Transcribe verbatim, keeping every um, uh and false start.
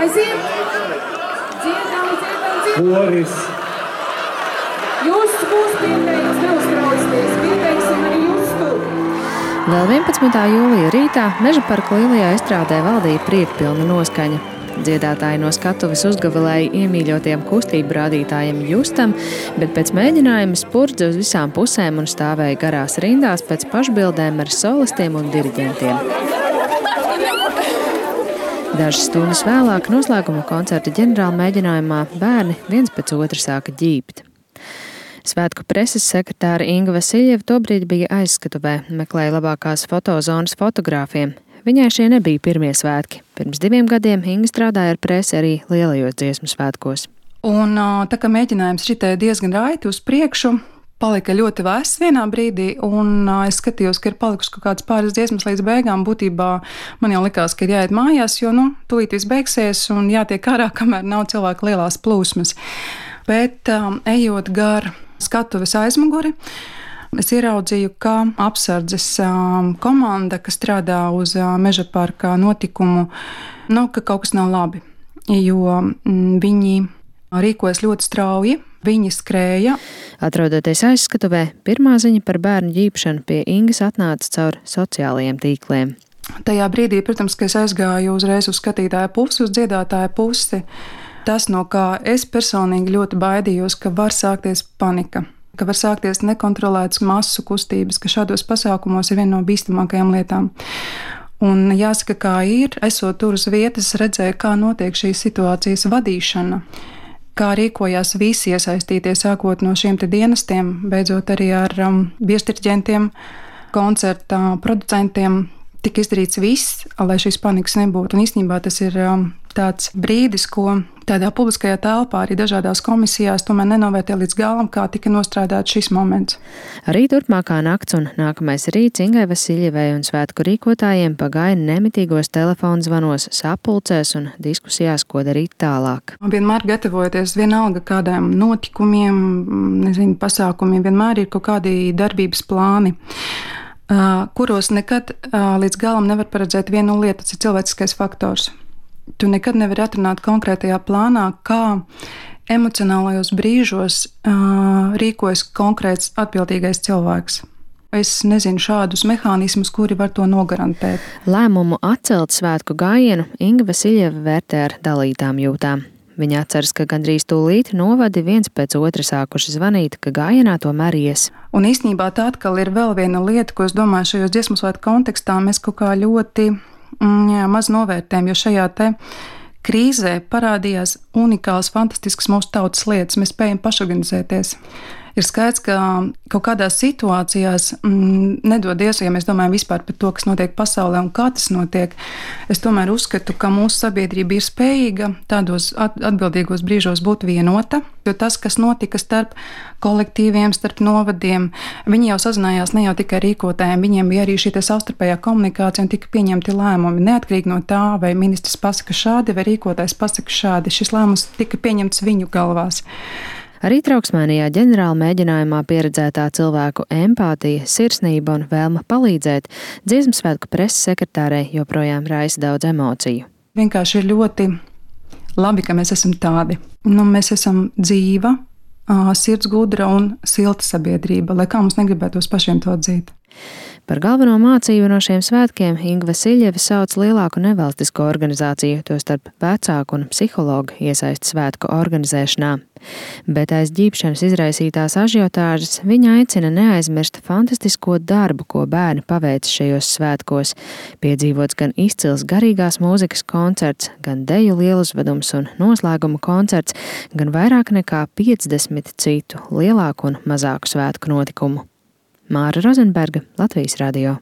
Aiziet! Dziedam, dziedam, dziedam! Koris! Jūs būs pieteiks, neuztraucieties, pieteiksim arī Justu! Vēl vienpadsmitā jūlija rītā Meža parka lielajā estrādē valdīja priekpilna noskaņa. Dziedātāji no skatuves uzgavilēja iemīļotiem kustību rādītājiem Justam, bet pēc mēģinājuma spurdza uz visām pusēm un stāvēja garās rindās pēc pašbildēm ar solistiem un diriģentiem. Dažas stundas vēlāk noslēguma koncerta ģenerāla mēģinājumā bērni viens pēc otra sāka ģībt. Svētku preses sekretāra Inga Vasiļeva tobrīd bija aizskatuvē, meklēja labākās fotozonas fotogrāfiem. Viņai šie nebija pirmie svētki. Pirms diviem gadiem Inga strādāja ar presi arī lielajos dziesmu svētkos. Un tā kā mēģinājums šitē diezgan raiti uz priekšu, palika ļoti vēss vienā brīdī, un es skatījos, ka ir palikuši kaut kādas pāris dziesmas līdz beigām. Būtībā man jau likās, ka ir jāiet mājās, jo, nu, tūlīt viss beigsies un jātiek ārā, kamēr nav cilvēku lielās plūsmas. Bet um, ejot gar skatuves aizmuguri, es ieraudzīju, ka apsardzes um, komanda, kas strādā uz uh, Meža parka notikumu, nu, ka kaut kas nav labi, jo mm, viņi rīkojas ļoti strauji, viņi skrēja. Atrodoties aizskatuvē, pirmā ziņa par bērnu ģībšanu pie Ingas atnāca caur sociālajiem tīkliem. Tajā brīdī, protams, ka es aizgāju uzreiz uz skatītāju pusi, uz dziedātāju pusi. Tas, no kā es personīgi ļoti baidījos, ka var sākties panika, ka var sākties nekontrolētas masu kustības, ka šādos pasākumos ir viena no bīstamākajām lietām. Un jāsaka, kā ir, esot tur uz vietas, redzēju, kā notiek šīs situācijas vadīšana, kā rīkojās visi iesaistītie, sākot no šiem te dienestiem, beidzot arī ar um, viesdiriģentiem, koncerta producentiem. Tika izdarīts viss, lai šīs panikas nebūtu. Un īstenībā tas ir um, tāds brīdis, ko tādā publiskajā telpā arī dažādās komisijās tomēr nenovērtē līdz galam, kā tika nostrādāts šis moments. Arī turpmākā nakts un nākamais rīts Ingai Vasiļevai un svētku rīkotājiem pagāja nemitīgos telefonzvanos, sapulcēs un diskusijās, ko darīt tālāk. Vienmēr gatavojoties vienalga kādiem notikumiem, nezinu, pasākumiem, vienmēr ir kaut kādi darbības plāni, kuros nekad līdz galam nevar paredzēt vienu lietu, tas ir cilvēciskais faktors. Tu nekad nevari atrunāt konkrētajā plānā, kā emocionālajos brīžos uh, rīkojas konkrēts atbildīgais cilvēks. Es nezinu šādus mehānismus, kuri var to nogarantēt. Lēmumu atcelt svētku gājienu Inga Vasiļeva vērtē ar dalītām jūtām. Viņa atceras, ka gandrīz tūlīt novadi viens pēc otra sākuši zvanīt, ka gājienā tomēr ies. Un īstenībā tā atkal ir vēl viena lieta, ko es domāju šajos dziesmu svētku kontekstā mēs kaut kā ļoti jā, maz novērtējam, jo šajā te krīzē parādījās unikāls, fantastisks mūsu tautas lietas. Mēs spējam pašorganizēties. Ir skaidrs, ka kaut kādās situācijās mm, nedodies, ja mēs domājam vispār par to, kas notiek pasaulē un kā tas notiek. Es tomēr uzskatu, ka mūsu sabiedrība ir spējīga tādos atbildīgos brīžos būt vienota, jo tas, kas notika starp kolektīviem, starp novadiem, viņi jau sazinājās ne jau tikai rīkotājiem, viņiem bija arī šī savstarpējā komunikācija un tika pieņemti lēmumi. Neatkarīgi no tā, vai ministrs pasaka šādi, vai rīkotājs pasaka šādi, šis lēmums tika pieņemts viņu galvās. Arī trauksmainajā ģenerāla mēģinājumā pieredzētā cilvēku empātija, sirsnība un vēlme palīdzēt dziesmu svētku preses sekretārei joprojām raisa daudz emociju. Vienkārši ir ļoti labi, ka mēs esam tādi. Nu, mēs esam dzīva, sirds gudra un silta sabiedrība, lai kā mums negribētos pašiem to atzīt. Par galveno mācību no šiem svētkiem Inga Vasiļeva sauc lielāku nevalstisko organizāciju, tostarp vecāku un psihologu iesaisti svētku organizēšanā. Bet aiz ģībšanas izraisītās ažiotāžas viņa aicina neaizmirst fantastisko darbu, ko bērni paveic šajos svētkos. Piedzīvots gan izcils garīgās mūzikas koncerts, gan deju lieluzvedums un noslēguma koncerts, gan vairāk nekā piecdesmit citu lielāku un mazāku svētku notikumu. Māra Rozenberga, Latvijas radio.